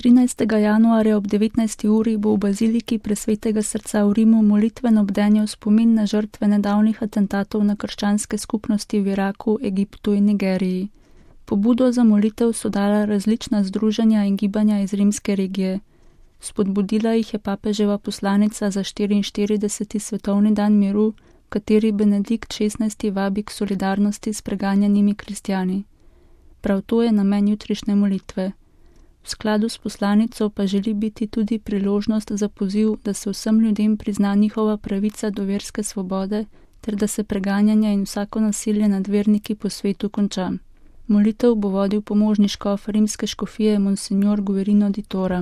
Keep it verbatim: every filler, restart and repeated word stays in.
trinajstega januarja ob devetnajsti uri bo v baziliki Presvetega srca v Rimu molitveno bdenje v spomin na žrtve nedavnih atentatov na krščanske skupnosti v Iraku, Egiptu in Nigeriji. Pobudo za molitev so dala različna združenja in gibanja iz rimske regije. Spodbudila jih je papeževa poslanica za štiriinštirideseti svetovni dan miru, v kateri Benedikt šestnajsti vabi k solidarnosti s preganjanimi kristjani. Prav to je namen jutrišnje molitve. V skladu s poslanico pa želi biti tudi priložnost za poziv, da se vsem ljudem prizna njihova pravica do verske svobode, ter da se preganjanje in vsako nasilje nad verniki po svetu konča. Molitev bo vodil pomožni škof rimske škofije Monsignor Guerino di Tora.